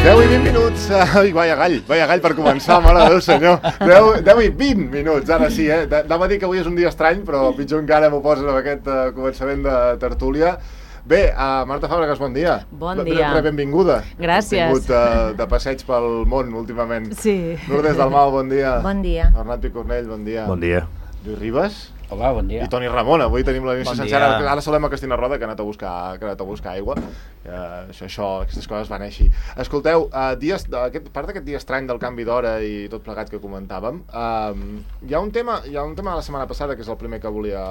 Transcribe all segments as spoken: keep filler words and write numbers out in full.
deu i vint minuts. Ai, vaya gall, vaya gall per començar, mare de Déu senyor. deu i vint minuts, ara sí, eh? Anava a dir que avui és un dia estrany, però pitjor encara m'ho poses amb aquest uh, començament de tertúlia. Bé, uh, Marta Fàbregas, bon dia. Bon dia. Re, benvinguda. Gràcies. Has tingut uh, de passeig pel món últimament. Sí. Lourdes Dalmau, bon dia. Bon dia. Arnat Picornell, bon dia. Bon dia. Lluís Ribas. Hola, bon dia. I Toni Ramon, avui tenim la bon sencera. Ara saludem a Cristina Roda, que ha anat a buscar, que ha anat a buscar aigua. Uh, això, això, aquestes coses van així. Escolteu, uh, dies, aquest, part d'aquest dia estrany del canvi d'hora i tot plegat que comentàvem, uh, hi ha un tema hi ha un tema de la setmana passada, que és el primer que volia,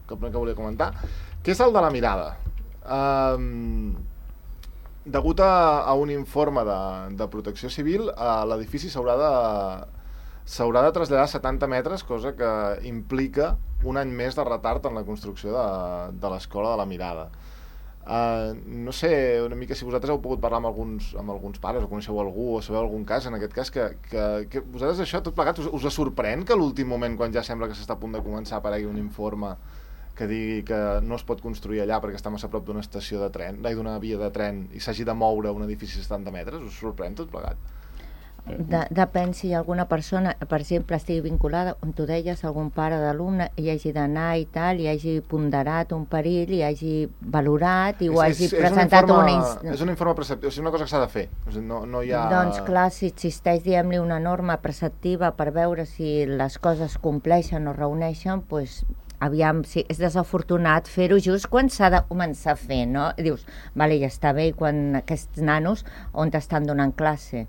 que, el primer que volia comentar, que és el de la mirada. Uh, degut a, a un informe de, de Protecció Civil, uh, l'edifici s'haurà de s'haurà de traslladar setanta metres, cosa que implica un any més de retard en la construcció de, de l'Escola de la Mirada. Uh, no sé una mica si vosaltres heu pogut parlar amb alguns, amb alguns pares, o coneixeu algú, o sabeu algun cas, en aquest cas, que, que, que vosaltres això tot plegat us, us sorprèn que a l'últim moment, quan ja sembla que s'està a punt de començar, aparegui un informe que digui que no es pot construir allà perquè està massa a prop d'una estació de tren, d'una via de tren, i s'hagi de moure un edifici de setanta metres? Us sorprèn tot plegat? De, depèn si alguna persona, per exemple, estigui vinculada, on tu deies, algun pare d'alumne hi hagi d'anar i tal, i hagi ponderat un perill, i hagi valorat i ho és, hagi és, presentat és un informe, una... Inst... És un informe preceptiu, o sigui, una cosa que s'ha de fer. O sigui, no, no hi ha... Doncs clar, si existeix, diguem-li, una norma preceptiva per veure si les coses compleixen o reuneixen, doncs aviam, si és desafortunat fer-ho just quan s'ha de començar a fer, no? I dius, vale, ja està bé, quan aquests nanos on t'estan donant classe.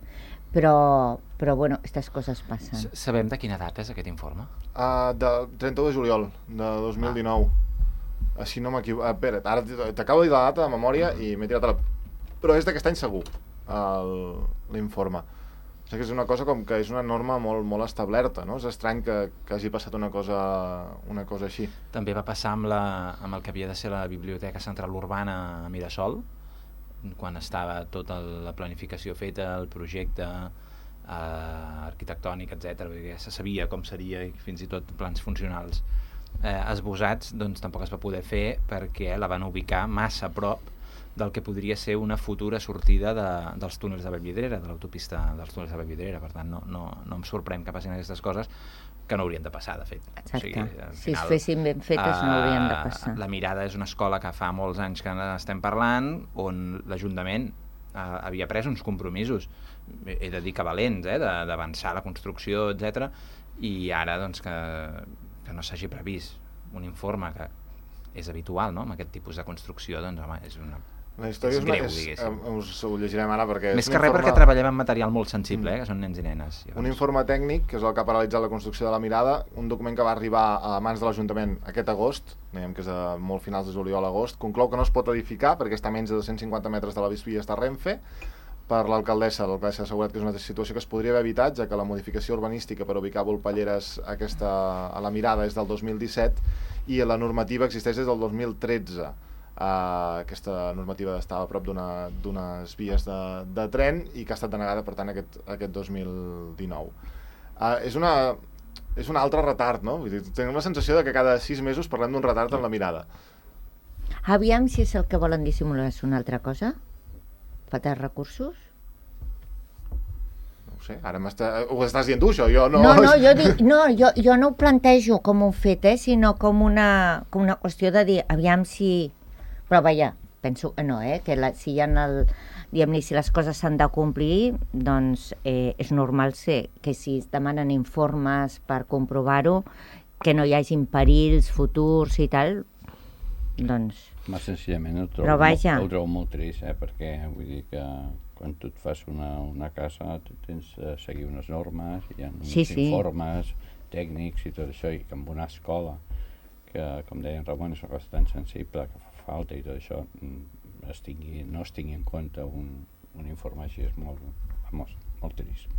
Però, però bueno, aquestes coses passen. Sabem de quina data és aquest informe? Uh, de trenta-u de juliol de dos mil dinou. Ah. Així no m'equivoco. Uh, espera, ara t'acabo de dir la data de memòria mm. i m'he tirat a la... Però és d'aquest any segur, l'informe. O sigui que és una cosa com que és una norma molt, molt establerta, no? És estrany que, que hagi passat una cosa, una cosa així. També va passar amb, la, amb el que havia de ser la Biblioteca Central Urbana a Mirasol, quan estava tota la planificació feta, el projecte eh, arquitectònic, etcètera, perquè ja se sabia com seria, i fins i tot plans funcionals eh, esbosats, doncs tampoc es va poder fer perquè la van ubicar massa a prop del que podria ser una futura sortida de, dels túnels de Vallvidrera, de l'autopista dels túnels de Vallvidrera. Per tant, no, no, no em sorprèn que passin aquestes coses, que no haurien de passar, de fet. Exacte. O sigui, final, si es fessin ben fetes, uh, no haurien de passar. La Mirada és una escola que fa molts anys que estem parlant, on l'Ajuntament uh, havia pres uns compromisos, he de dir que valents, eh, d'avançar la construcció, etcètera, i ara doncs, que, que no s'hagi previst un informe que és habitual, no?, amb aquest tipus de construcció, doncs home, és una... La història és, és greu, diguéssim. Us ho llegirem ara perquè... Més que res informe... perquè treballem en material molt sensible, eh, que són nens i nenes. Llavors. Un informe tècnic, que és el que ha paralitzat la construcció de la Mirada, un document que va arribar a mans de l'Ajuntament aquest agost, diguem que és de molt finals de juliol a agost, conclou que no es pot edificar perquè està a menys de dos-cents cinquanta metres de la vies de Renfe. Per l'alcaldessa, l'alcaldessa ha assegurat que és una situació que es podria haver evitat, ja que la modificació urbanística per ubicar Volpelleres aquesta, a la Mirada és del dos mil disset i la normativa existeix des del dos mil tretze. Uh, aquesta normativa estava a prop d'unes vies de, de tren i que ha estat denegada, per tant, aquest, aquest dos mil dinou. Uh, és, una, és un altre retard, no? Vull dir, tenim la sensació de que cada sis mesos parlem d'un retard en la Mirada. Aviam si és el que volen dissimular, és una altra cosa? Falta recursos? No ho sé, ara ho estàs dient tu, això, jo no... No, no, jo, dic, no jo, jo no ho plantejo com un fet, eh, sinó com una, com una qüestió de dir, aviam si... Però vaja, penso que no, eh? Que la, si, hi ha el, diguem-ne, si les coses s'han de complir, doncs eh, és normal ser que si es demanen informes per comprovar-ho, que no hi hagin perills futurs i tal, doncs... Més senzillament el trobo, Però vaja. el trobo molt trist, eh? Perquè vull dir que quan tu et fas una, una casa tu tens de seguir unes normes, hi ha uns sí, sí. informes tècnics i tot això, i que en una escola, que com deia en Ramon és una cosa tan sensible que fa falta i tot això, es tingui, no es tingui en compte un, un informe així, és molt, vamos, molt trist.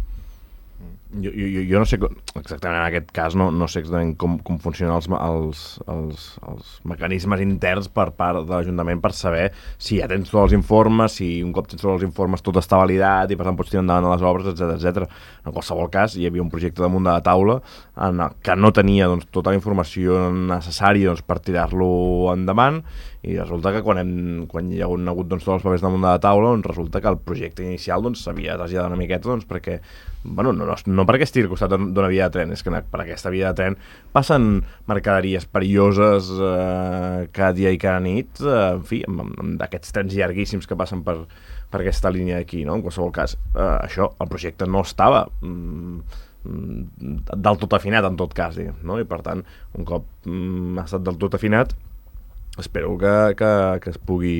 Jo, jo, jo no sé, exactament en aquest cas, no, no sé exactament com, com funcionen els, els, els, els mecanismes interns per part de l'Ajuntament per saber si ja tens tots els informes, si un cop tens tots els informes tot està validat i per tant pots tirar endavant les obres, etcètera etcètera. En qualsevol cas, hi havia un projecte damunt de la taula en el que no tenia doncs, tota la informació necessària doncs, per tirar-lo endavant, i resulta que quan, hem, quan hi ha hagut doncs, tots els papers damunt de la taula, doncs, resulta que el projecte inicial s'havia doncs, traslladat una miqueta doncs, perquè, bueno, no, no, no perquè estigui al costat d'una via de tren, és que per aquesta via de tren passen mercaderies perilloses eh, cada dia i cada nit, eh, en fi, amb, amb d'aquests trens llarguíssims que passen per, per aquesta línia d'aquí, no? En qualsevol cas, eh, això, el projecte no estava mm, del tot afinat, en tot cas, diguem, no? I per tant, un cop mm, ha estat del tot afinat, espero que, que, que es pugui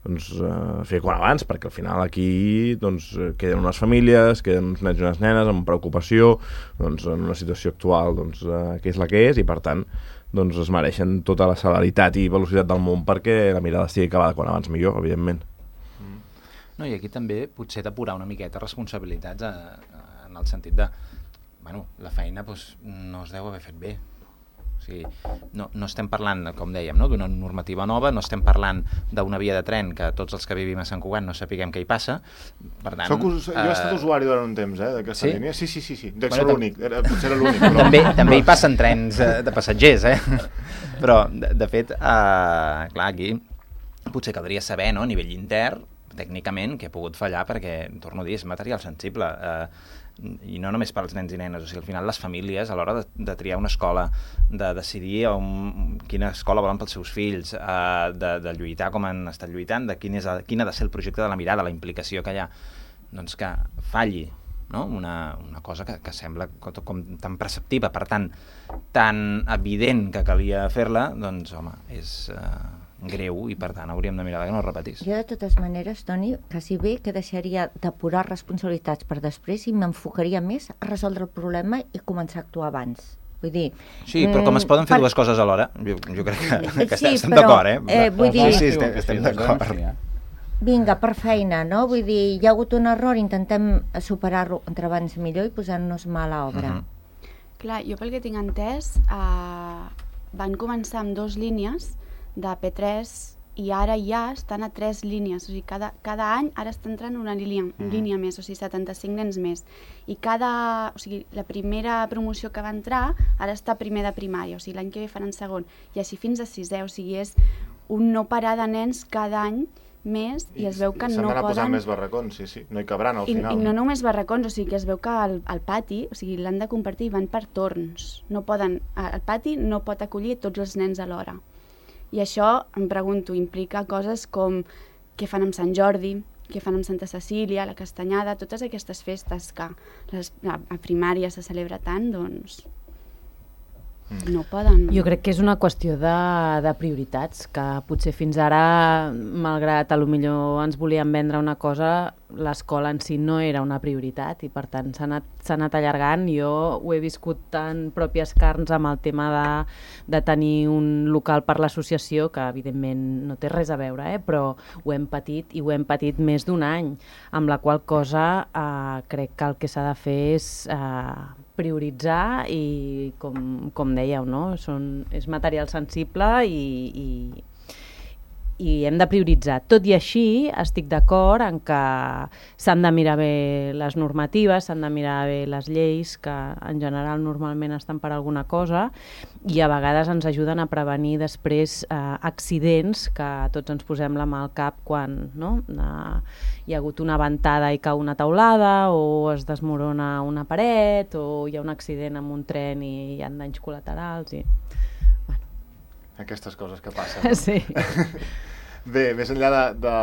doncs, uh, fer quan abans, perquè al final aquí doncs, queden unes famílies, queden uns nens i unes nenes amb preocupació, doncs, en una situació actual doncs, uh, que és la que és, i per tant doncs, es mereixen tota la celeritat i velocitat del món perquè la mirada estigui acabada quan abans millor, evidentment. No, i aquí també potser depurar una miqueta responsabilitats a, a, en el sentit de bueno, la feina doncs, no es deu haver fet bé. O sigui, no, no estem parlant, com dèiem, no, d'una normativa nova, no estem parlant d'una via de tren que tots els que vivim a Sant Cugat no sapiguem què hi passa. Per tant, Soc us, jo he estat usuari durant un temps, eh, d'aquesta sí? línia. Sí, sí, sí, sí. Dec Bueno, ser l'únic, era, potser era l'únic. Però... també, també hi passen trens eh, de passatgers, eh? Però, de, de fet, eh, clar, aquí potser caldria saber, no, a nivell intern, tècnicament, què ha pogut fallar, perquè, torno a dir, és material sensible. Eh, i no només pels nens i nenes, o sigui, al final les famílies a l'hora de, de triar una escola, de decidir on, quina escola volen pels seus fills, eh, de, de lluitar com han estat lluitant, de quin, és, quin ha de ser el projecte de la mirada, la implicació que hi ha, doncs que falli, no? una, una cosa que, que sembla com, com tan preceptiva, per tant, tan evident que calia fer-la, doncs home, és... Eh, greu i per tant hauríem de mirar que no es repetís. Jo de totes maneres, Toni, quasi bé que deixaria depurar responsabilitats per després i m'enfocaria més a resoldre el problema i començar a actuar abans. Vull dir... Sí, però com es poden fer per... dues coses alhora, jo, jo crec que, que sí, estem però, d'acord, eh? eh vull dir... Sí, sí, estem, estem d'acord. Vinga, per feina, no? Vull dir, hi ha hagut un error, intentem superar-lo entre abans millor i posar-nos mà a l'obra. Uh -huh. Clar, jo pel que tinc entès, eh, van començar amb dues línies de P tres i ara ja estan a tres línies, o sigui, cada, cada any ara està entrant una línia, una línia més, o sigui, setanta-cinc nens més. I cada, o sigui, la primera promoció que va entrar ara està primer de primària, o sigui, l'any que ve faran segon, i així fins a sisè, o sigui, és un no parar de nens cada any més i, i es veu que no poden... S'han d'anar posant més barracons, sí, sí, no hi cabran al I, final. I no només barracons, o sigui que es veu que el, el pati, o sigui, l'han de compartir, van per torns, no poden, el pati no pot acollir tots els nens alhora. I això, em pregunto, implica coses com què fan amb Sant Jordi, què fan amb Santa Cecília, la Castanyada, totes aquestes festes que les, a, a primària se celebra tant, doncs no poden... Jo crec que és una qüestió de, de prioritats, que potser fins ara, malgrat a lo millor ens volien vendre una cosa, l'escola en si no era una prioritat i per tant s'ha anat, s'ha anat allargant. Jo ho he viscut en pròpies carns amb el tema de, de tenir un local per l'associació, que evidentment no té res a veure, eh? Però ho hem patit i ho hem patit més d'un any, amb la qual cosa eh, crec que el que s'ha de fer és eh, prioritzar i, com, com dèieu, no? Són, és material sensible i, i, i hem de prioritzar. Tot i així, estic d'acord en que s'han de mirar bé les normatives, s'han de mirar bé les lleis, que en general normalment estan per alguna cosa, i a vegades ens ajuden a prevenir després eh, accidents que tots ens posem la mà al cap quan no? eh, hi ha hagut una ventada i cau una taulada, o es desmorona una paret, o hi ha un accident amb un tren i hi ha danys col·laterals. I... Bueno. Aquestes coses que passen. Sí. Bé, més enllà de, de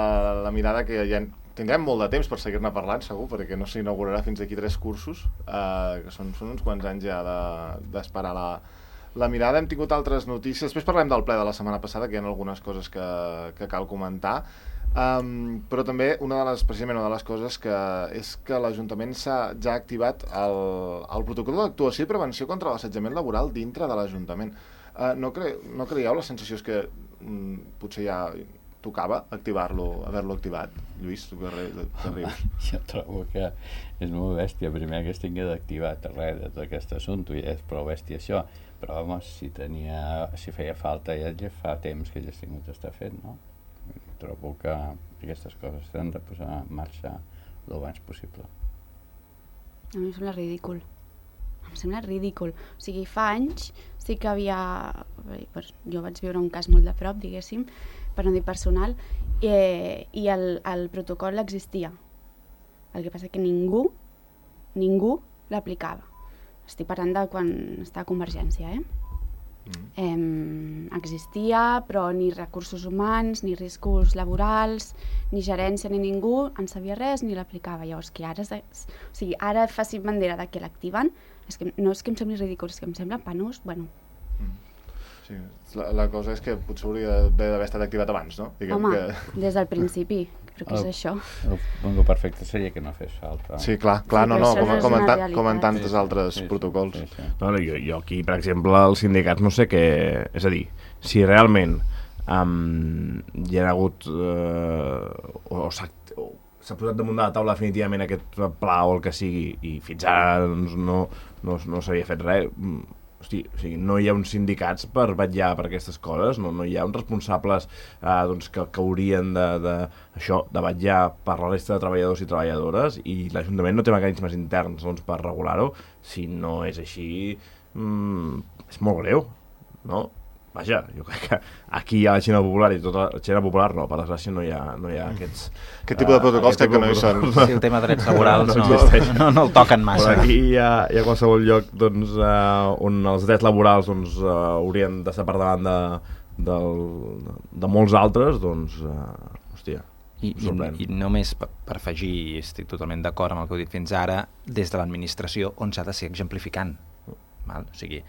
la mirada, que ja tindrem molt de temps per seguir-ne parlant, segur, perquè no s'inaugurarà fins aquí tres cursos, eh, que són, són uns quants anys ja d'esperar de, la, la mirada. Hem tingut altres notícies. Després parlem del ple de la setmana passada, que hi ha algunes coses que, que cal comentar. Um, però també una de les, precisament una de les coses que és que l'Ajuntament s'ha ja activat el, el protocol d'actuació i prevenció contra l'assetjament laboral dintre de l'Ajuntament. Uh, no, cre no creieu? La sensació és que mm, potser hi ha tocava activar-lo, haver-lo activat? Lluís, tu que, re, que rius? Jo trobo que és molt bèstia, primer que es tingués activat res de tot aquest assumpte, i és prou bèstia això, però home, si, tenia, si feia falta ja, ja fa temps que ja has tingut d'estar fet, no? Trobo que aquestes coses s'han de posar en marxa el abans possible. A mi em sembla ridícul. Em sembla ridícul. O sigui, fa anys sí que havia... Pues, jo vaig viure un cas molt de prop, diguéssim, per no dir personal, i, i el, el protocol existia. El que passa que ningú, ningú l'aplicava. Estic parlant de quan està a Convergència, eh? Mm. Eh, existia, però ni recursos humans, ni riscos laborals, ni gerència, ni ningú en sabia res ni l'aplicava. Llavors, que ara, o sigui, ara facin bandera de que l'activen, és que no és que em sembli ridícul, és que em sembla penós, bueno. Mm. Sí, la, la cosa és que potser hauria d'haver estat activat abans, no? Diguem Home, que... des del principi, però què és això? El, el perfecte seria que no fes falta. Sí, clar, clar, Sí, no, però no, això com, no és com, en, una ta, com en tantes Sí, sí, altres sí, sí, protocols. sí, sí. No, no, jo, jo aquí, per exemple, els sindicats no sé què... És a dir, si realment um, hi ha hagut... Uh, o o s'ha s'ha posat damunt de la taula definitivament aquest pla o el que sigui, i fins ara doncs, no, no, no s'havia fet res... Hosti, o sigui, no hi ha uns sindicats per vetllar per aquestes coses, no, no hi ha uns responsables eh, doncs, que, que haurien de, de, això, de vetllar per la resta de treballadors i treballadores, i l'Ajuntament no té mecanismes interns doncs, per regular-ho. Si no és així, mmm, és molt greu, no? Vaja, jo crec que aquí hi ha la Xina popular i tota la Xina popular no, per desgràcia no hi ha, no hi ha aquests... Aquest tipus de protocols crec que no hi són. Sí, el tema de drets laborals no, no, no, no, no el toquen massa. Però aquí hi ha, hi ha qualsevol lloc doncs, uh, on els drets laborals doncs, uh, haurien de ser per davant de, del, de molts altres, doncs, uh, hòstia, I, i, i només per, per afegir, estic totalment d'acord amb el que heu dit fins ara, des de l'administració on s'ha de ser exemplificant. Val? O sigui,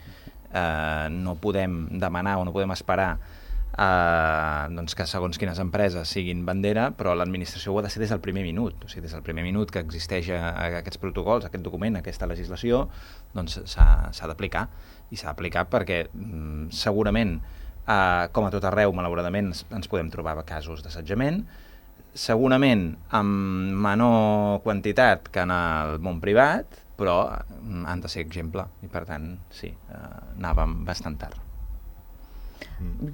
eh, no podem demanar o no podem esperar eh, doncs que segons quines empreses siguin bandera, però l'administració ho ha de ser des del primer minut. O sigui, des del primer minut que existeix a, a aquests protocols, aquest document, aquesta legislació, doncs s'ha d'aplicar. I s'ha d'aplicar perquè mm, segurament, eh, com a tot arreu, malauradament, ens podem trobar casos d'assetjament, segurament amb menor quantitat que en el món privat, però han de ser exemple, i per tant, sí, eh, anàvem bastant tard.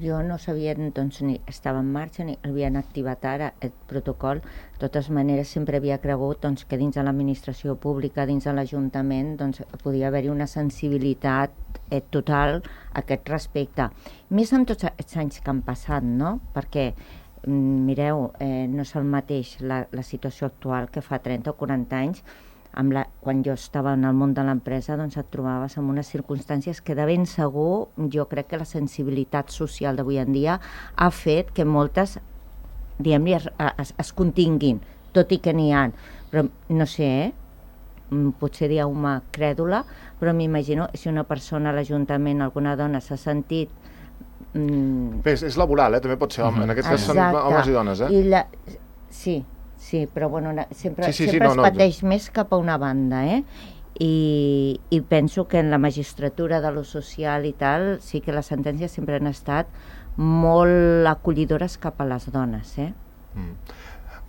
Jo no sabia, doncs, ni estava en marxa ni havien activat ara el protocol. De totes maneres, sempre havia cregut doncs, que dins de l'administració pública, dins de l'Ajuntament, doncs, podia haver-hi una sensibilitat eh, total a aquest respecte. Més amb tots els anys que han passat, no? Perquè mireu, eh, no és el mateix la, la situació actual que fa trenta o quaranta anys. Amb la, quan jo estava en el món de l'empresa, doncs et trobaves en unes circumstàncies que de ben segur, jo crec que la sensibilitat social d'avui en dia ha fet que moltes, diguem-li, es, es, es continguin, tot i que n'hi ha. Però no sé, eh? Potser dieu-me crèdula, però m'imagino si una persona a l'Ajuntament, alguna dona, s'ha sentit... Mm... Bé, és, és laboral, eh? També pot ser home. En aquest cas són homes i dones, eh? I la... Sí, sí, però bueno, una, sempre, sí, sí, sempre sí, no, es pateix no. més cap a una banda, eh? I, I penso que en la magistratura de lo social i tal, sí que les sentències sempre han estat molt acollidores cap a les dones, eh? Mm.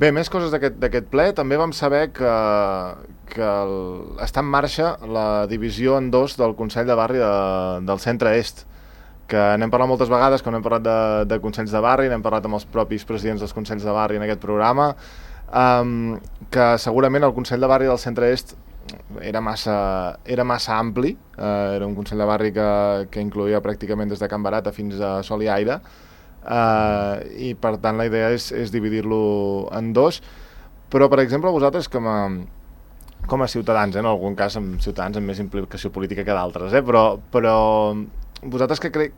Bé, més coses d'aquest ple. També vam saber que, que el, està en marxa la divisió en dos del Consell de Barri de, del Centre Est, que n'hem parlat moltes vegades, que n'hem parlat de, de Consells de Barri, n'hem parlat amb els propis presidents dels Consells de Barri en aquest programa, um, que segurament el Consell de Barri del Centre Est era massa, era massa ampli, uh, era un Consell de Barri que, que incloïa pràcticament des de Can Barata fins a Sol i Aire, uh, i per tant la idea és, és dividir-lo en dos, però per exemple vosaltres com a, com a ciutadans, eh, en algun cas amb ciutadans amb més implicació política que d'altres, eh, però, però vosaltres que creu,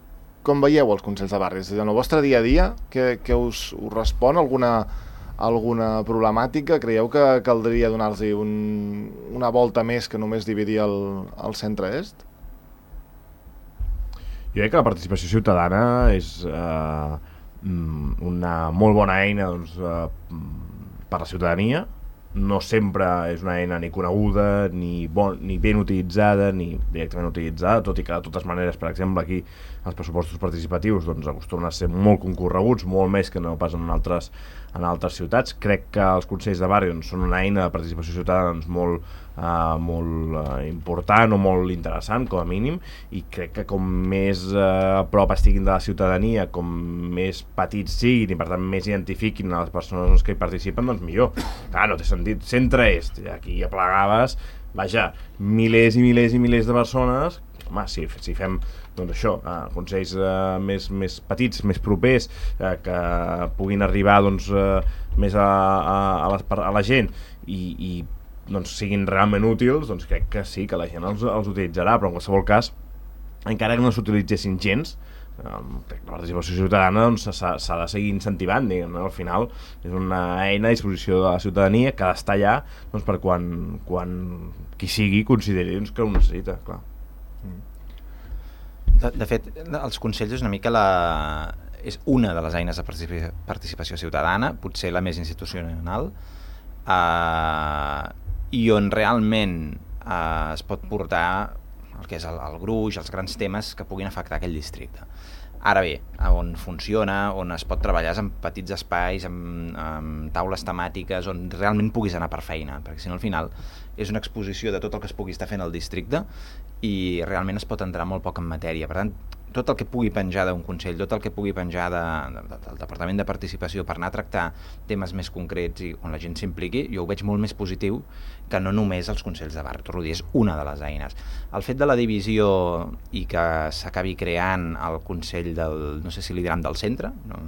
com veieu els Consells de Barri? En el vostre dia a dia, que, que us, us respon alguna, alguna problemàtica? Creieu que caldria donar-los un, una volta més que només dividir el, el centre-est? Jo crec que la participació ciutadana és eh, una molt bona eina doncs, eh, per la ciutadania, no sempre és una eina ni coneguda, ni, bon, ni ben utilitzada, ni directament utilitzada, tot i que de totes maneres, per exemple, aquí els pressupostos participatius doncs, acostumen a ser molt concorreguts, molt més que no pas en altres, en altres ciutats. Crec que els consells de barri doncs, són una eina de participació ciutadana doncs, molt, uh, molt uh, important o molt interessant, com a mínim, i crec que com més uh, a prop estiguin de la ciutadania, com més petits siguin i per tant més identifiquin a les persones doncs, que hi participen, doncs millor. Clar, no té sentit. Centre est, aquí aplegaves, vaja, milers i milers i milers de persones. Home, si, si fem doncs això, eh, consells eh, més, més petits, més propers, eh, que puguin arribar doncs, eh, més a, a, a, les, a la gent i, i doncs, siguin realment útils, doncs crec que sí, que la gent els, els utilitzarà, però en qualsevol cas, encara que no s'utilitzessin gens, eh, crec que la participació ciutadana doncs, s'ha de seguir incentivant, diguem, no? Al final és una eina a disposició de la ciutadania que ha d'estar allà doncs, per quan, quan qui sigui consideri doncs, que ho necessita, clar. De, de fet, els consells és una mica la... és una de les eines de participació, participació ciutadana, potser la més institucional, eh, i on realment eh, es pot portar el que és el, el gruix, els grans temes que puguin afectar aquell districte. Ara bé, on funciona, on es pot treballar en petits espais, amb, amb taules temàtiques, on realment puguis anar per feina, perquè si no al final és una exposició de tot el que es pugui estar fent al districte i realment es pot entrar molt poc en matèria. Per tant, tot el que pugui penjar d'un consell, tot el que pugui penjar de, de, del Departament de Participació per anar a tractar temes més concrets i on la gent s'impliqui, jo ho veig molt més positiu que no només els consells de barri. Torno a dir, és una de les eines. El fet de la divisió i que s'acabi creant el consell del, no sé si li diran del centre, no,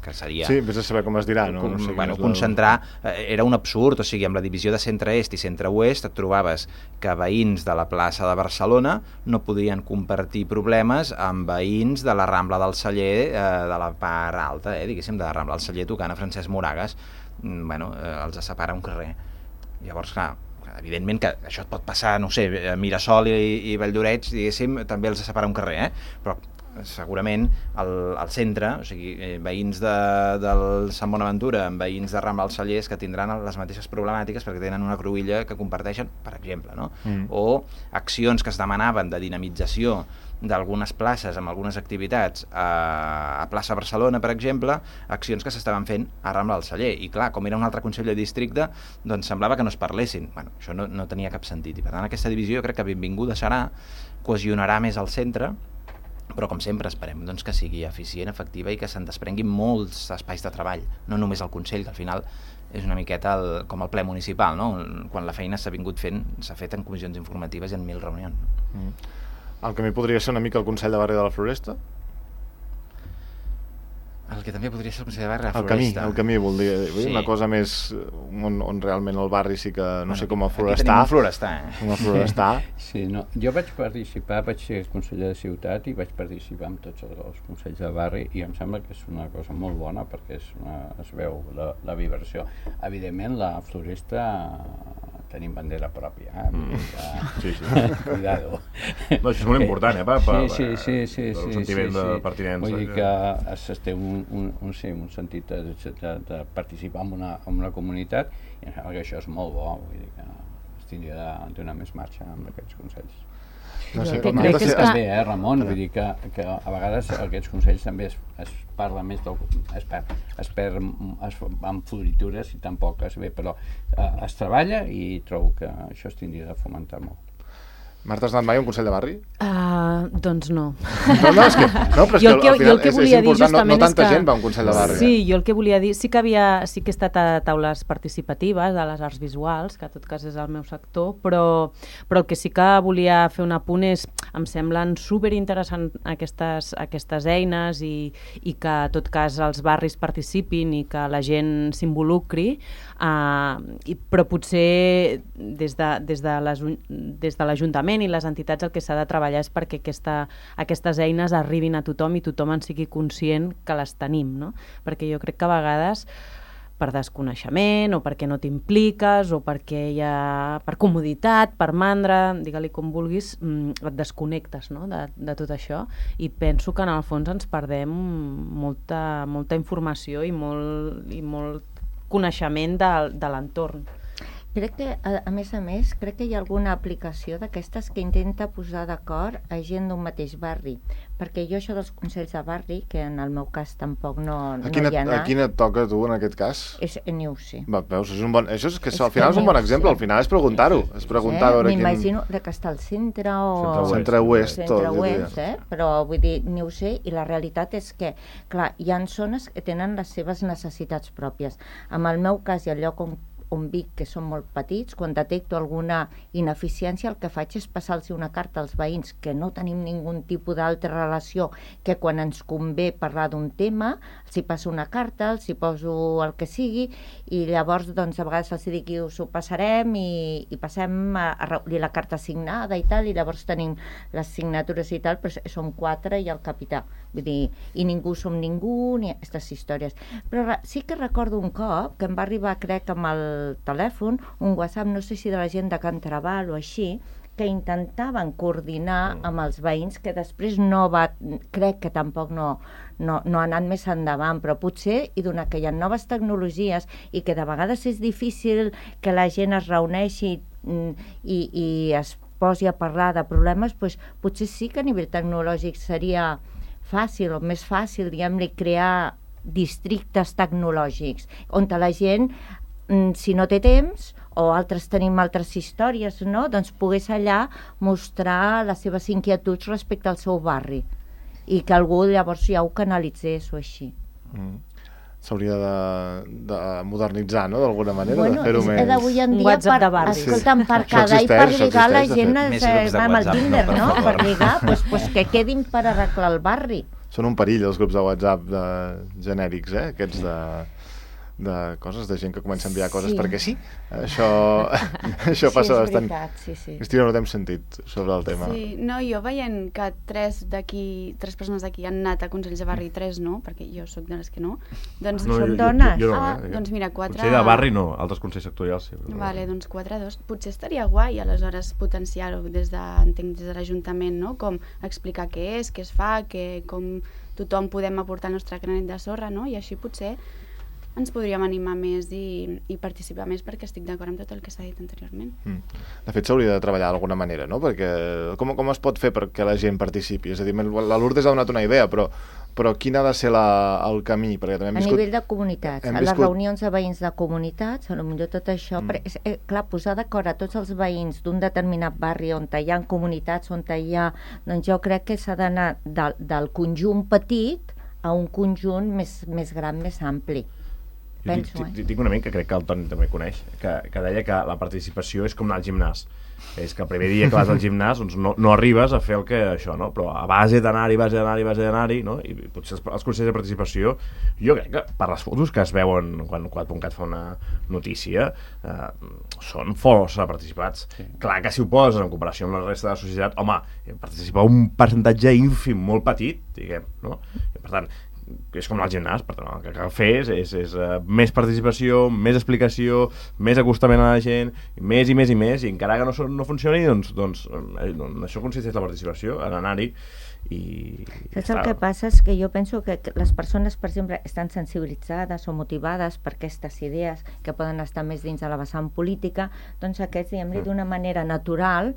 que seria... Sí, vés a saber com es dirà, no? Com, no sé bueno, la... concentrar, eh, era un absurd, o sigui, amb la divisió de centre-est i centre-oest et trobaves que veïns de la plaça de Barcelona no podien compartir problemes amb veïns de la Rambla del Celler, eh, de la part alta, eh, diguéssim, de la Rambla del Celler tocant a Francesc Moragas, mm, bueno, eh, els separa un carrer. Llavors, clar, evidentment que això et pot passar, no sé, a Mirasol i, i Valldoreix, diguéssim, també els separa un carrer, eh? Però segurament al, al centre, o sigui, eh, veïns de, del Sant Bonaventura amb veïns de Rambla dels Cellers que tindran les mateixes problemàtiques perquè tenen una cruïlla que comparteixen, per exemple, no? Mm. O accions que es demanaven de dinamització d'algunes places amb algunes activitats a, a plaça Barcelona, per exemple, accions que s'estaven fent a Rambla del Celler, i clar, com era un altre consell de districte, doncs semblava que no es parlessin. Bueno, això no, no tenia cap sentit, i per tant aquesta divisió jo crec que benvinguda serà, cohesionarà més al centre, però com sempre esperem doncs, que sigui eficient, efectiva i que se'n desprenguin molts espais de treball, no només el Consell, que al final és una miqueta el, com el ple municipal, no? Quan la feina s'ha vingut fent, s'ha fet en comissions informatives i en mil reunions. Mm. El camí podria ser una mica el Consell de Barri de la Floresta? El que també podria ser el Consell de Barri de la el camí, Floresta. el camí, vol dir, sí. Una cosa més on, on realment el barri sí que, no bueno, sé com el florestar. Aquí tenim un florestar, eh? Un florestar. Sí, no. Jo vaig participar, vaig ser conseller de ciutat i vaig participar en tots els, els consells de barri i em sembla que és una cosa molt bona perquè és una, es veu la, la vibració. Evidentment, la floresta tenim bandera pròpia, eh? Mm. Que... Sí, sí. Cuidado. No, això és molt important, eh? Per, per, sí, sí, sí, sí, el sentiment sí, sí. de pertinença. Vull dir que es, es té un, un, un, sí, un sentit de, de, de participar en una, en una comunitat i em sembla que això és molt bo, vull dir que es tindria de donar més marxa amb aquests consells. No sé, com crec que és també, eh, Ramon, vull dir que, que a vegades aquests consells també es, es parla més del, es perd, es perd es, amb floritures i tampoc es ve, però eh, es treballa i trobo que això es tindria de fomentar molt. Marta, has anat mai a un consell de barri? Uh, doncs no. No, no, és que, no però és jo que, al final que és, és important, no, no tanta que... gent va a un consell de barri. Sí, eh? jo el que volia dir, sí que havia, sí que he estat a taules participatives de les arts visuals, que en tot cas és el meu sector, però, però el que sí que volia fer un apunt és, em semblen superinteressants aquestes, aquestes eines i, i que en tot cas els barris participin i que la gent s'involucri, uh, i, però potser des de, des de les, des de l'Ajuntament i les entitats el que s'ha de treballar és perquè aquesta, aquestes eines arribin a tothom i tothom en sigui conscient que les tenim, no? Perquè jo crec que a vegades per desconeixement o perquè no t'impliques o perquè hi ha per comoditat, per mandra, digue-li com vulguis, et desconnectes, no? de, de tot això, i penso que en el fons ens perdem molta, molta informació i molt, i molt coneixement de, de l'entorn. Crec que, a, a més a més, crec que hi ha alguna aplicació d'aquestes que intenta posar d'acord a gent d'un mateix barri. Perquè jo això dels consells de barri, que en el meu cas tampoc no, no A quina, hi ha anat... a quina et toca tu en aquest cas? És, ni ho sé. Va, veus, és un bon... Això és que És al final que és un ni bon ho exemple, sé. al final és preguntar-ho. És preguntar a veure quin... M'imagino de que està al centre o... Centre oest, tot, Centre jo oest, diria. eh? Però vull dir, ni ho sé, i la realitat és que, clar, hi ha zones que tenen les seves necessitats pròpies. En el meu cas i el lloc on on vic, que són molt petits, quan detecto alguna ineficiència, el que faig és passar-los una carta als veïns, que no tenim ningú tipus d'altra relació que quan ens convé parlar d'un tema, els hi passo una carta, els hi poso el que sigui, i llavors, doncs, a vegades els dic que us ho passarem i, i passem a, a recollir la carta signada i tal, i llavors tenim les signatures i tal, però som quatre i el capità. Vull dir, i ningú som ningú, ni aquestes històries. Però sí que recordo un cop que em va arribar, crec, amb el telèfon, un WhatsApp, no sé si de la gent de Can Traval o així, que intentaven coordinar amb els veïns, que després no va, crec que tampoc no, no, no ha anat més endavant, però potser, i donat que hi ha noves tecnologies i que de vegades és difícil que la gent es reuneixi i, i es posi a parlar de problemes, doncs potser sí que a nivell tecnològic seria fàcil o més fàcil, diguem-li, crear districtes tecnològics, on la gent, si no té temps, o altres tenim altres històries, no? Doncs pogués allà mostrar les seves inquietuds respecte al seu barri i que algú llavors ja ho canalitzés o així. Mm. S'hauria de, de modernitzar, no?, d'alguna manera, bueno, de fer-ho més... Bueno, d'avui en dia, WhatsApp per, de barris. escolta'm, per Això quedar i per existeix, lligar la existeix, de gent fet. Més es grups de va amb el WhatsApp, Tinder, no, per no? Per favor. lligar, doncs, doncs que quedin per arreglar el barri. Són un perill, els grups de WhatsApp de genèrics, eh? Aquests de, de coses, de gent que comença a enviar coses Sí. perquè sí. Això, això Sí, passa és bastant. veritat, sí, sí. Cristina, no t'hem sentit sobre el tema. Sí, no, jo veient que tres d'aquí, tres persones d'aquí han anat a Consells de Barri, tres no, perquè jo sóc de les que no, doncs No, som jo- dones. Jo, jo no, Ah, eh? doncs mira, quatre... Consell de barri no, altres consells sectorials sí. Però... Vale, doncs quatre, dos. Potser estaria guai, aleshores, potenciar-ho des de, entenc, des de l'Ajuntament, no? Com explicar què és, què es fa, que, com tothom podem aportar el nostre granet de sorra, no? I així potser ens podríem animar més i, i participar més, perquè estic d'acord amb tot el que s'ha dit anteriorment. Mm. De fet, s'hauria de treballar d'alguna manera, no? Perquè com, com es pot fer perquè la gent participi? És a dir, la Lourdes ha donat una idea, però, però quin ha de ser la, el camí? Perquè també hem A viscut... nivell de comunitats, hem a les viscut- reunions de veïns de comunitats, potser tot això, Mm. mm. és, eh, clar, posar d'acord a tots els veïns d'un determinat barri on hi ha comunitats, on hi ha... Doncs jo crec que s'ha d'anar del, del conjunt petit a un conjunt més, més gran, més ampli. Jo Penso, tinc, eh? tinc, tinc un amic que crec que el Toni també coneix, que, que deia que la participació és com anar al gimnàs. És que el primer dia que vas al gimnàs doncs no, no arribes a fer el que això, no? Però a base d'anar-hi, base d'anar-hi, base d'anar-hi, no? I potser els, els consells de participació, jo crec que per les fotos que es veuen quan quatre punt cat fa una notícia, eh, són força participats. Sí. Clar que si ho poses en comparació amb la resta de la societat, home, participa un percentatge ínfim molt petit, diguem, no? I per tant, és com al gimnàs, per tant, el que cal fer és, és, és uh, més participació, més explicació, més acostament a la gent, més i més i més, i encara que no, no funcioni, doncs, doncs, eh, doncs això consisteix la participació, en anar-hi, i... Saps el que passa? És que jo penso que les persones, per exemple, estan sensibilitzades o motivades per aquestes idees que poden estar més dins de la vessant política, doncs aquests, diguem-li, d'una manera natural,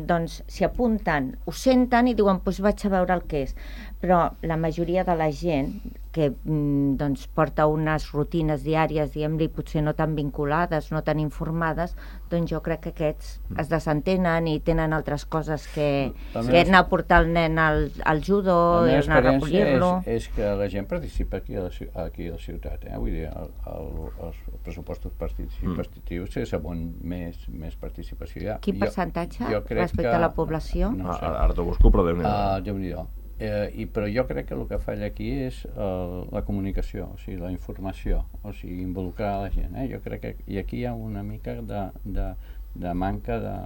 doncs s'hi apunten, ho senten i diuen, doncs vaig a veure el que és. Però la majoria de la gent que doncs, porta unes rutines diàries, diguem-li, potser no tan vinculades, no tan informades, doncs jo crec que aquests es desentenen i tenen altres coses que, que anar a portar el nen al, al judo i anar a recollir-lo. És, és que la gent participa aquí a la, aquí a la ciutat, eh? Vull dir, el, el, els pressupostos participatius mm. saben més, més participació. Ja. Quin percentatge jo, jo respecte que, a la població? No sé. Ara t'ho busco, però Déu-n'hi-do. Uh, Déu-n'hi-do. Eh, i, però jo crec que el que falla aquí és uh, la comunicació, o sigui, la informació, o sigui, involucrar la gent. Eh? Jo crec que i aquí hi ha una mica de, de, de manca de,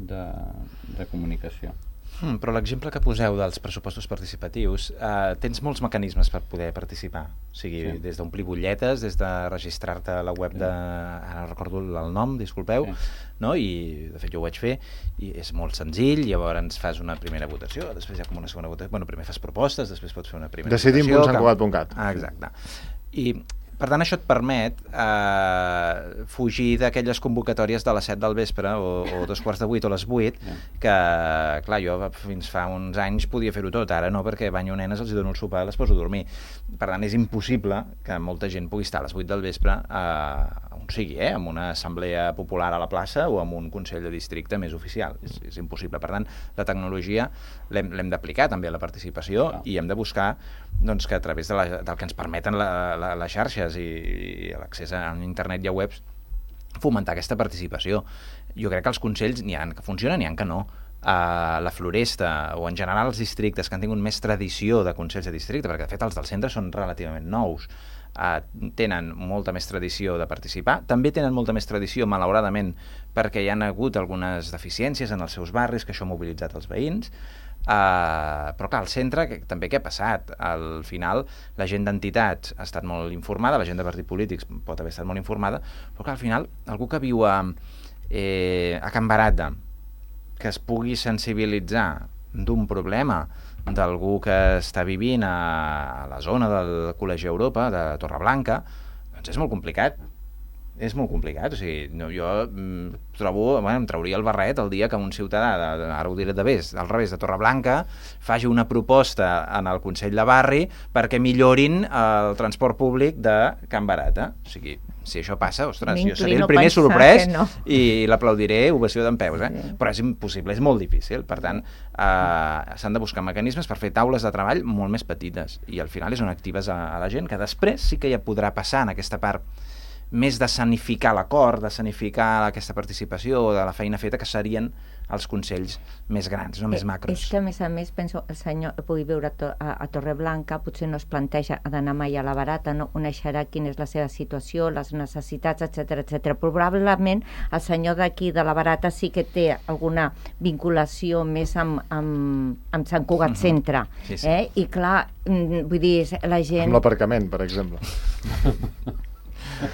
de, de comunicació. Hmm, però l'exemple que poseu dels pressupostos participatius, eh, tens molts mecanismes per poder participar. O sigui, sí. Des d'omplir butlletes, des de registrar-te a la web sí. de... Ara no recordo el nom, disculpeu, sí. No? I de fet jo ho vaig fer, i és molt senzill, llavors fas una primera votació, després hi ha com una segona votació, bueno, primer fas propostes, després pots fer una primera Decidim votació... Decidim punt sant cugat punt cat. Ah, exacte. I per tant, això et permet eh, fugir d'aquelles convocatòries de les set del vespre o, o dos quarts de vuit o les vuit, que, clar, jo fins fa uns anys podia fer-ho tot, ara no, perquè banyo nenes, els dono el sopar i les poso a dormir. Per tant, és impossible que molta gent pugui estar a les vuit del vespre eh, on sigui, eh, en una assemblea popular a la plaça o en un consell de districte més oficial. És, és impossible. Per tant, la tecnologia l'hem d'aplicar també a la participació ah. i hem de buscar doncs, que a través de la, del que ens permeten la, la, les xarxes i, i l'accés a internet i a webs, fomentar aquesta participació. Jo crec que els consells n'hi ha que funcionen, n'hi ha que no. A la Floresta o en general els districtes que han tingut més tradició de consells de districte, perquè de fet els del centre són relativament nous, uh, tenen molta més tradició de participar, també tenen molta més tradició, malauradament, perquè hi ha hagut algunes deficiències en els seus barris, que això ha mobilitzat els veïns. Uh, però clar, al centre que, també què ha passat? Al final la gent d'entitats ha estat molt informada, la gent de partits polítics pot haver estat molt informada, però clar, al final algú que viu a, eh, a Can Barata, que es pugui sensibilitzar d'un problema d'algú que està vivint a, a la zona del Col·legi Europa de Torreblanca, doncs és molt complicat. És molt complicat, o sigui, no, jo mm, trobo, bueno, em trauria el barret el dia que un ciutadà, de, de, ara ho diré de vés, al revés de Torreblanca, faci una proposta en el Consell de Barri perquè millorin el transport públic de Can Barata. O sigui, si això passa, ostres, jo seré el primer sorprès no. i l'aplaudiré, ovació d'en peus, eh? Sí. Però és impossible, és molt difícil. Per tant, eh, s'han de buscar mecanismes per fer taules de treball molt més petites i al final és on actives a, a la gent, que després sí que ja podrà passar en aquesta part més de sanificar l'acord, de sanificar aquesta participació o de la feina feta, que serien els consells més grans, no més macros. És que, a més a més, penso, el senyor pugui viure a, to a, a Torreblanca, potser no es planteja d'anar mai a la Barata, no coneixerà quina és la seva situació, les necessitats, etcètera, etcètera. Probablement el senyor d'aquí de la Barata sí que té alguna vinculació més amb, amb, amb Sant Cugat uh-huh. Centre. Sí, sí. Eh? I clar, vull dir, la gent... Amb l'aparcament, per exemple.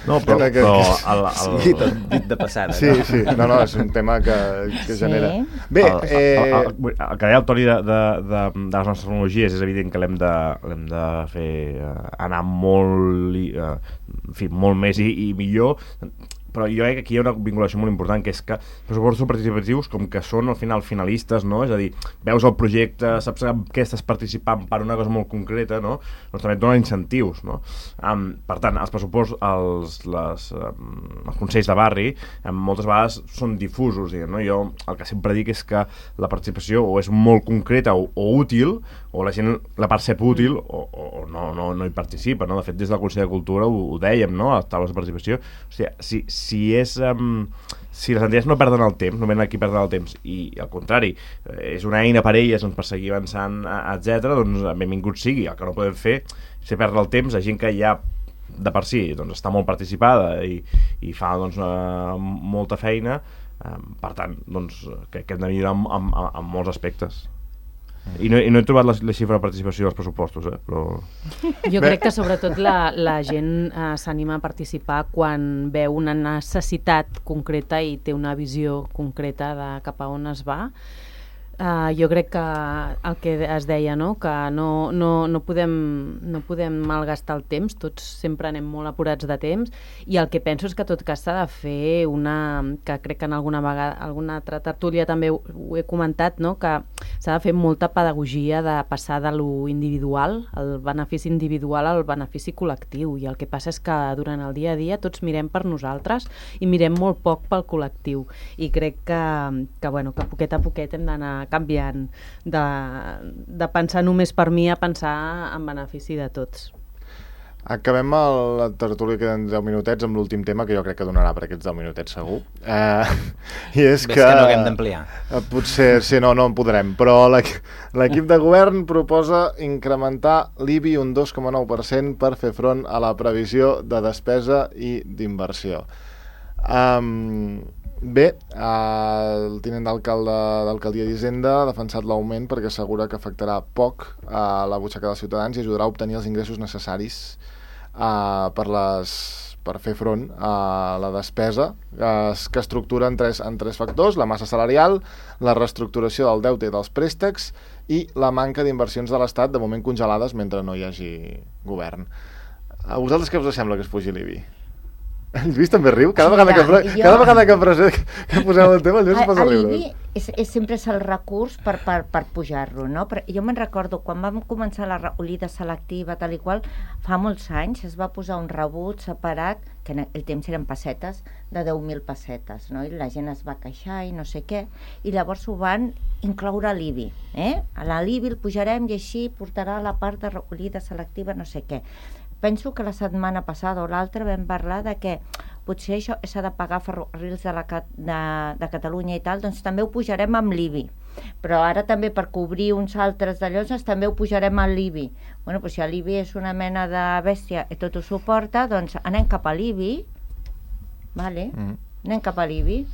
No, però, que, però que, el, el... Sí, tot dit de passada. Sí, no? sí, no, no, és un tema que, que sí. genera... Bé, el, eh... el, el, el, el que deia el Toni de, de, de, de les nostres tecnologies, és evident que l'hem de, l'hem de fer uh, anar molt, uh, en fi, molt més i, i millor, però jo crec que aquí hi ha una vinculació molt important, que és que els pressupostos participatius, com que són al final finalistes, no? És a dir, veus el projecte, saps què estàs participant per una cosa molt concreta, no? Doncs també et donen incentius, no? Um, per tant, els pressupostos, els, les, um, els consells de barri, um, moltes vegades són difusos, diguem, no? Jo el que sempre dic és que la participació o és molt concreta o, o útil, o la gent la percep útil o, o no, no, no hi participa, no? De fet, des del Consell de Cultura ho, ho dèiem, no? A les taules de participació. O sigui, si, si és... Um, si les entitats no perden el temps, no venen aquí a perdre el temps, i al contrari, és una eina per elles doncs, per seguir avançant, etcètera, doncs benvingut sigui. El que no podem fer és perdre el temps a gent que ja de per si doncs, està molt participada i, i fa doncs, uh, molta feina, uh, per tant, doncs, que, que hem de millorar en, en, en molts aspectes. I no, i no he trobat la, la xifra de participació dels pressupostos, eh? Però... Jo crec que sobretot la, la gent eh, s'anima a participar quan veu una necessitat concreta i té una visió concreta de cap a on es va. Uh, jo crec que el que es deia, no? Que no, no, no, podem, no podem malgastar el temps, tots sempre anem molt apurats de temps, i el que penso és que tot cas s'ha de fer una, que crec que en alguna vegada, alguna altra tertúlia també ho, ho he comentat, no? Que s'ha de fer molta pedagogia de passar de lo individual, el benefici individual al benefici col·lectiu, i el que passa és que durant el dia a dia tots mirem per nosaltres i mirem molt poc pel col·lectiu, i crec que, que, bueno, que poquet a poquet hem d'anar canviant de, de pensar només per mi a pensar en benefici de tots. Acabem el, la tertúlia, queden deu minutets amb l'últim tema, que jo crec que donarà per aquests deu minutets segur. Eh, I és Ves que... que no haguem d'ampliar. Eh, potser, sí, no, no en podrem, però l'equip de govern proposa incrementar l'I B I un dos coma nou per cent per fer front a la previsió de despesa i d'inversió. Um, Bé, el tinent d'alcalde d'Alcaldia d'Hisenda ha defensat l'augment perquè assegura que afectarà poc a la butxaca dels ciutadans i ajudarà a obtenir els ingressos necessaris uh, per, les, per fer front a la despesa, uh, que estructura en tres, en tres factors: la massa salarial, la reestructuració del deute i dels préstecs i la manca d'inversions de l'Estat, de moment congelades mentre no hi hagi govern. A vosaltres què us sembla que es pugi l'I B I? El Lluís també riu? Cada vegada, Mira, que, jo- cada vegada que, present, que posem el tema, el Lluís es posa a riure. L'I B I és, és sempre és el recurs per, per, per pujar-lo, no? Però jo me'n recordo, quan vam començar la recollida selectiva, tal i qual, fa molts anys es va posar un rebut separat, que en el temps eren pessetes, de deu mil pessetes, no? I la gent es va queixar i no sé què, i llavors ho van incloure a l'I B I, eh? A l'I B I el pujarem i així portarà la part de recollida selectiva, no sé què. Penso que la setmana passada o l'altra vam parlar de que potser això s'ha de pagar ferrocarrils de, la, de, de Catalunya i tal, doncs també ho pujarem amb l'I B I. Però ara també per cobrir uns altres d'allò, doncs també ho pujarem a l'I B I. Bueno, doncs si l'I B I és una mena de bèstia i tot ho suporta, doncs anem cap a l'I B I, vale? Mm. Anem cap a l'I B I.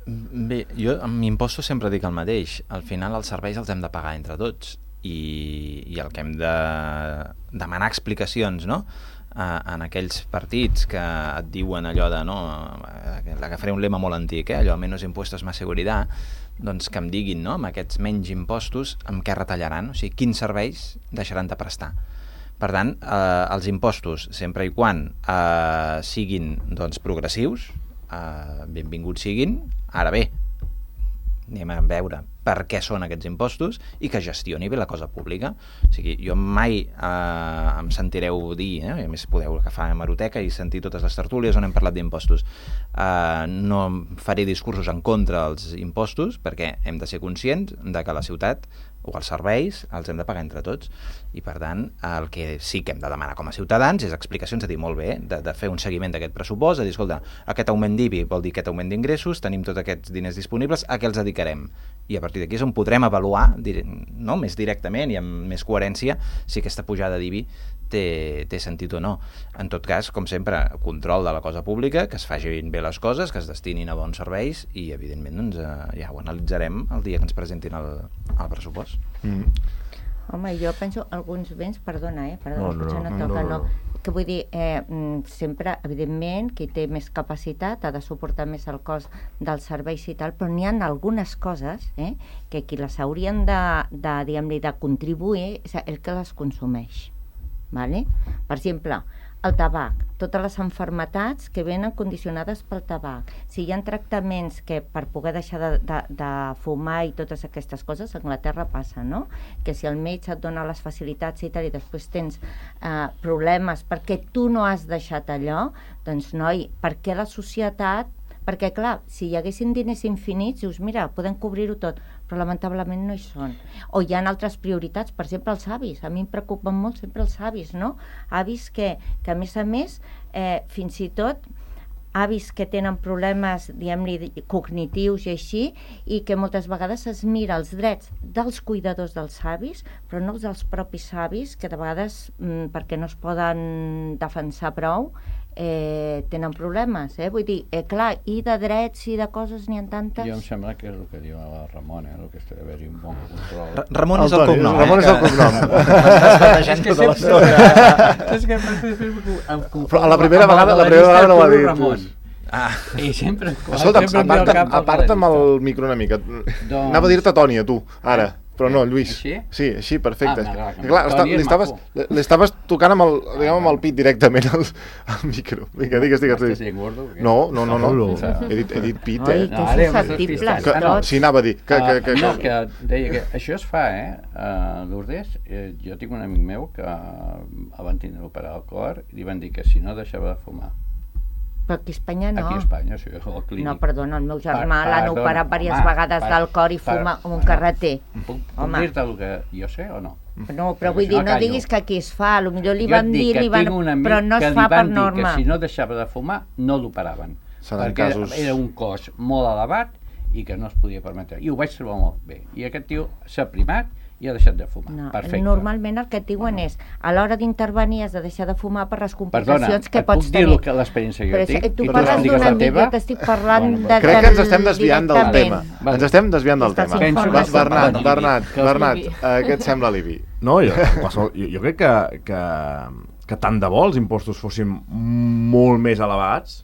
Bé, jo amb impostos sempre dic el mateix. Al final els serveis els hem de pagar entre tots. I, i el que hem de demanar explicacions, no? Uh, en aquells partits que et diuen allò de, no, agafaré un lema molt antic, eh? Allò, menos impuestos más seguridad, doncs que em diguin, no, amb aquests menys impostos, amb què retallaran, o sigui, quins serveis deixaran de prestar. Per tant, eh, els impostos, sempre i quan eh, siguin doncs, progressius, eh, benvinguts siguin. Ara bé, anem a veure per què són aquests impostos i que gestioni bé la cosa pública. O sigui, jo mai eh, em sentireu dir, eh, a més podeu agafar hemeroteca i sentir totes les tertúlies on hem parlat d'impostos. Eh, no faré discursos en contra dels impostos perquè hem de ser conscients de que la ciutat o els serveis els hem de pagar entre tots i per tant el que sí que hem de demanar com a ciutadans és explicacions, de dir molt bé, de, de fer un seguiment d'aquest pressupost, de dir, escolta, aquest augment d'I B I vol dir aquest augment d'ingressos, tenim tots aquests diners disponibles, a què els dedicarem? I a partir d'aquí és on podrem avaluar no, més directament i amb més coherència si aquesta pujada d'I B I té, té sentit o no. En tot cas, com sempre, control de la cosa pública, que es facin bé les coses, que es destinin a bons serveis i, evidentment, doncs, eh, ja ho analitzarem el dia que ens presentin el, el pressupost. Mm. Home, jo penso alguns béns, perdona, eh? Perdona, no, no, potser no, no, toca, no, no. no. Que vull dir, eh, sempre, evidentment, qui té més capacitat ha de suportar més el cost dels serveis i tal, però n'hi ha algunes coses eh, que qui les haurien de, de, diguem-li, de contribuir és el que les consumeix. Vale? Per exemple, el tabac, totes les malalties que venen condicionades pel tabac. Si hi ha tractaments que per poder deixar de, de, de fumar i totes aquestes coses, a Anglaterra passa, no? Que si el metge et dona les facilitats i tal i després tens eh, problemes perquè tu no has deixat allò, doncs noi, per què la societat... Perquè, clar, si hi haguessin diners infinits, dius, mira, podem cobrir-ho tot, però lamentablement no hi són. O hi ha altres prioritats, per exemple, els avis. A mi em preocupen molt sempre els avis, no? Avis que, que a més a més, eh, fins i tot, avis que tenen problemes, diguem-li, cognitius i així, i que moltes vegades es mira els drets dels cuidadors dels avis, però no els dels propis avis, que de vegades, mm, perquè no es poden defensar prou, Eh, tenen problemes, eh? Vull dir, eh, clar, i de drets i de coses n'hi ha tantes... Jo em sembla que és el que diu la Ramona, eh? El que està d'haver-hi un bon control. Ra Ramon és el cognom. Ramon és el cognom. M'estàs tota l'estona. És que em Però a la primera vegada, la primera vegada no ho ha dit. Ramon. Ah. I sempre... Escolta, aparta'm el micro una mica. Anava a dir-te Toni, a tu, ara. Però no, Lluís. Així? Sí, així, perfecte. Ah, que, clar, està, li, estaves, li estaves tocant amb el, diguem, amb el pit directament al, al micro. Vinga, digues, digues. Estàs sent gordo? No, no, no, no. He dit, he dit pit, eh? Ai, que susceptibles que, tots. Sí, anava a dir. Que, que, que, no, que deia que això es fa, eh? Uh, Lourdes, eh, jo tinc un amic meu que el van tindre operar al cor i li van dir que si no deixava de fumar. Però aquí a Espanya no. Aquí a Espanya, sí, al clínic. No, perdona, el meu germà Per- l'han perdona, operat diverses home, vegades per- del cor i per- fuma amb un bueno, carreter. Puc, puc Home. dir-te el que jo sé o no? No, però Perquè vull si dir, no no callo. diguis que aquí es fa, potser li Jo van et dic dir, que li van... tinc un amic però no que es li fa per van dir norma. que si no deixava de fumar, no l'operaven. Seran Perquè casos- era un cost molt elevat i que no es podia permetre. I ho vaig trobar molt bé. I aquest tio s'ha primat i ha deixat de fumar. No, Perfecte. normalment el que et diuen és a l'hora d'intervenir has de deixar de fumar per les Perdona, complicacions que et pots puc dir tenir. el que l'experiència que Però jo tinc? és- tu i parles expliques d'un la amic, teva? jo t'estic parlant Bueno, de... Crec que ens estem desviant del tema. directament. Vale. Ens estem desviant del Estàs tema. informant. Ba- Bernat, Penso- Bernat, que els Bernat, Ibi. eh, què et sembla l'I B I? No, jo, qualsevol- jo, jo crec que, que, que tant de bo els impostos fossin molt més elevats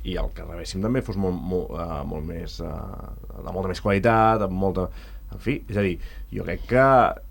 i el que rebéssim també fos molt, molt, uh, molt més, uh, de molta més qualitat, amb molta, en fi, és a dir, jo crec que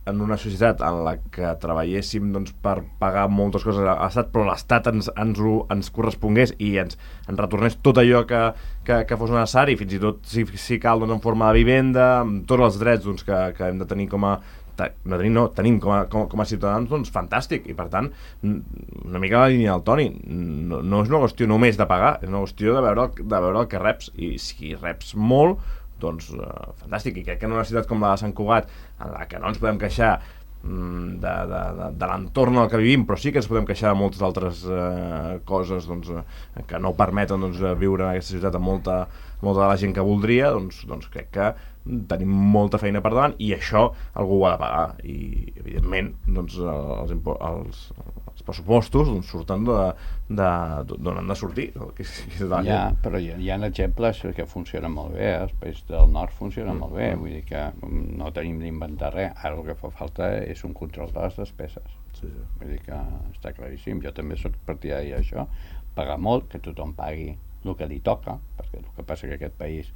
en una societat en la que treballéssim doncs, per pagar moltes coses a l'Estat, però l'Estat ens, ens, ho, ens correspongués i ens, ens retornés tot allò que, que, que fos necessari, fins i tot si, si cal doncs, en forma de vivenda, amb tots els drets doncs, que, que hem de tenir com a no tenim, no, tenim com a, com, com a ciutadans, doncs fantàstic, i per tant una mica la línia del Toni, no, no és una qüestió només de pagar, és una qüestió de veure, el, de veure el que reps, i si reps molt, doncs uh, fantàstic, i crec que en una ciutat com la de Sant Cugat, en la que no ens podem queixar de, de, de, de l'entorn en el que vivim, però sí que ens podem queixar de moltes altres uh, coses doncs, uh, que no permeten doncs, viure en aquesta ciutat amb molta, molta de la gent que voldria, doncs, doncs crec que tenim molta feina per davant i això algú ho ha de pagar i evidentment doncs, els, els, els pressupostos doncs, surten d'on han de sortir que, que ja, però hi ha, hi ha exemples que funcionen molt bé, els països del nord funcionen mm. molt bé, vull dir que no tenim d'inventar res, ara el que fa falta és un control de les despeses sí, sí. Vull dir que està claríssim, jo també soc partidari d'això, pagar molt, que tothom pagui el que li toca, perquè el que passa que aquest país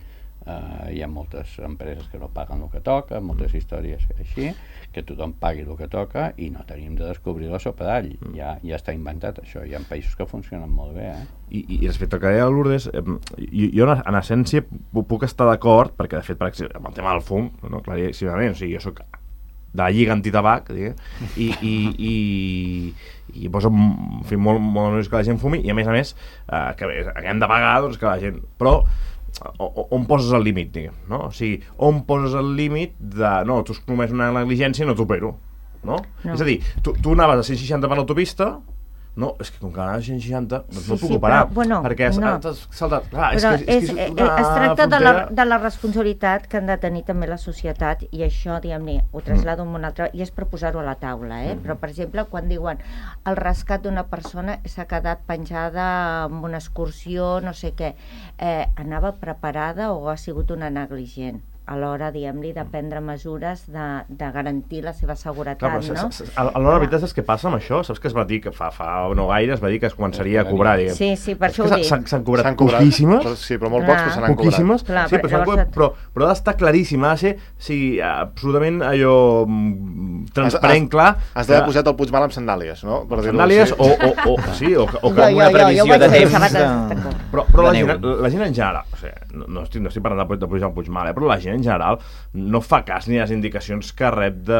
Uh, hi ha moltes empreses que no paguen el que toca, moltes històries així, que tothom pagui el que toca i no tenim de descobrir la sopa d'all, mm. ja, ja està inventat això, hi ha països que funcionen molt bé eh? I, i respecte al que deia Lourdes, eh, jo en, en essència puc estar d'acord, perquè de fet per exemple, amb el tema del fum, no, claríssimament, o sigui, jo soc de la Lliga Antitabac i, i, i, i posa en fi, molt, molt més que la gent fumi i a més a més eh, que hem de pagar doncs, que la gent, però on poses el límit, diguem, no? O sigui, on poses el límit de, no, tu has comès una negligència i no t'opero, no? no? És a dir, tu, tu anaves a cent seixanta per l'autopista, no, és que com que anaves a cent seixanta, doncs sí, no puc sí, operar, però, bueno, perquè has, no. has saltat, clar, però és que és, és, és, és una es tracta de la, frontera... de la responsabilitat que han de tenir també la societat i això, diguem-ne, ho traslado mm. un altre, i és per posar-ho a la taula, eh? Mm. Però, per exemple, quan diuen el rescat d'una persona s'ha quedat penjada amb una excursió, no sé què, eh, anava preparada o ha sigut una negligent? A l'hora, diguem-li, de prendre mesures de, de garantir la seva seguretat, clar, però, no? Alhora, la veritat és que passa amb això, saps que es va dir que fa, fa no gaire es va dir que es començaria a cobrar, diguem. Sí, sí, per això ho dic. S'han cobrat poquíssimes. Sí, però molt pocs que se n'han cobrat. Poquíssimes, sí, però, llavors... cobrat, però, però ha d'estar claríssim, ha de ser sí, absolutament allò transparent, clar. Has d'haver posat el Puigmal amb sandàlies, no? Per sandàlies o, o, o, sí, o, o que una previsió de temps. Però, però la, gent, la gent en general, o sigui, no, no, estic, no estic parlant de, de pujar el Puigmal, eh, però la gent en general no fa cas ni a les indicacions que rep de,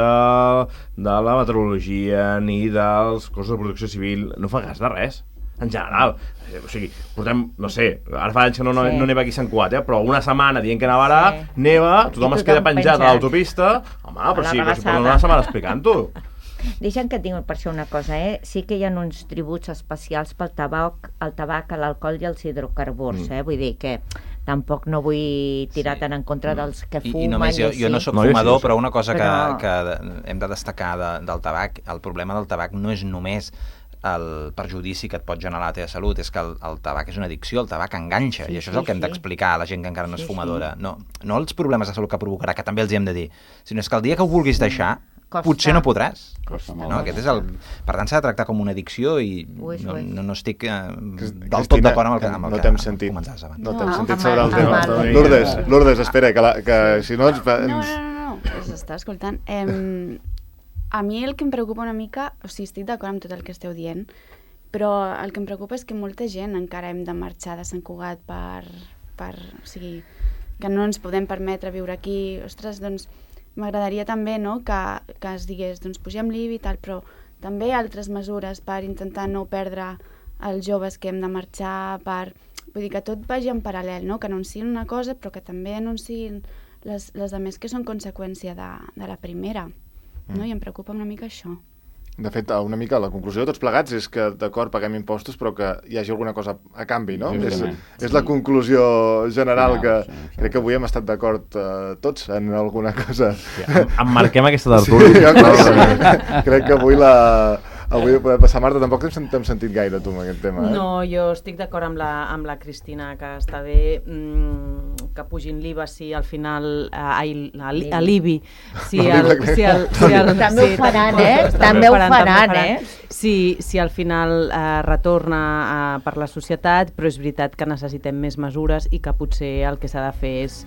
de la meteorologia ni dels cossos de protecció civil, no fa cas de res en general, o sigui, portem no sé, ara fa anys que no, no, sí. no neva aquí a Sant Cugat, eh, però una setmana dient que nevarà sí. neva, tothom, tothom es queda penjat, penjat a l'autopista, home, però sí, però si portem una setmana explicant-ho. Deixa'm que et digui per això una cosa, eh? Sí que hi ha uns tributs especials pel tabac, el tabac, l'alcohol i els hidrocarburs, mm. eh? Vull dir que tampoc no vull tirar sí. tant en contra dels que fumen. I, i només jo, jo no soc no, fumador, sí, sí. però una cosa però... que, que hem de destacar de, del tabac, el problema del tabac no és només el perjudici que et pot generar a la teva salut, és que el, el tabac és una addicció, el tabac enganxa, sí, i això és el que hem sí. d'explicar a la gent que encara no és sí, fumadora. Sí. No, no els problemes de salut que provocarà, que també els hi hem de dir, sinó és que el dia que ho vulguis deixar, Costa. potser no podràs. No, aquest és el... Per tant, s'ha de tractar com una addicció i uix, no, uix. no, no estic eh, del tot d'acord amb el que, amb el no que sentit. comentaves abans. No t'hem no, sentit amb sobre el tema. el... Lourdes, Lourdes, espera, que, la, que si no ens... No, no, no, no. s'està escoltant. Eh, a mi el que em preocupa una mica, o sigui, estic d'acord amb tot el que esteu dient, però el que em preocupa és que molta gent encara hem de marxar de Sant Cugat per... per o sigui, que no ens podem permetre viure aquí. Ostres, doncs, m'agradaria també, no?, que, que es digués, doncs, pugem l'I B I i tal, però també altres mesures per intentar no perdre els joves que hem de marxar, per... Vull dir que tot vagi en paral·lel, no?, que anunciïn una cosa, però que també anunciïn les, les altres que són conseqüència de, de la primera, no?, i em preocupa una mica això. De fet, una mica la conclusió de tots plegats és que, d'acord, paguem impostos, però que hi hagi alguna cosa a canvi, no? És, és la conclusió general que crec que avui hem estat d'acord uh, tots en alguna cosa. Sí, emmarquem aquesta tertúlia. Sí, crec, crec que avui la... Avui podem passar, Marta, tampoc t'hem sentit gaire tu amb aquest tema, eh? No, jo estic d'acord amb, la, amb la Cristina, que està bé mmm, que pugin l'I V A si al final eh, a l'I B I si el, si el, si el, també ho faran, eh? També ho faran, eh? Si, si al final eh, retorna eh, per la societat, però és veritat que necessitem més mesures i que potser el que s'ha de fer és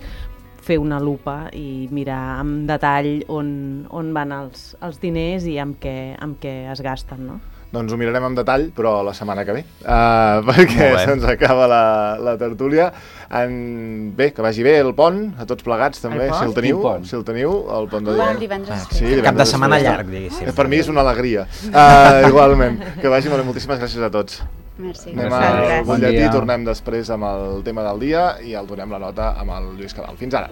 fer una lupa i mirar amb detall on, on van els, els diners i amb què, amb què es gasten, no? Doncs ho mirarem en detall, però la setmana que ve, uh, perquè se'ns acaba la, la tertúlia. En... Bé, que vagi bé el pont, a tots plegats també, El si el teniu, pont? si el teniu, el pont de Bueno, divendres. el divendres. Sí, divendres Cap de setmana després. llarg, diguéssim. Per mi és una alegria. Uh, igualment, que vagi molt bé. Moltíssimes gràcies a tots. Merci. Anem Gràcies. al Gràcies. butlletí, Bon dia. tornem després amb el tema del dia i el donem la nota amb el Lluís Cabal. Fins ara.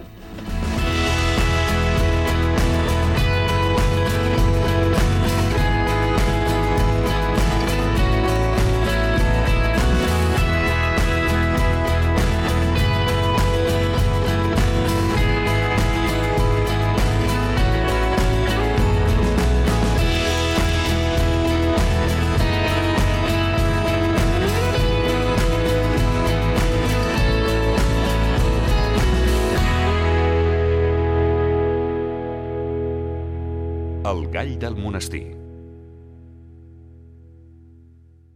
El gall del monestir.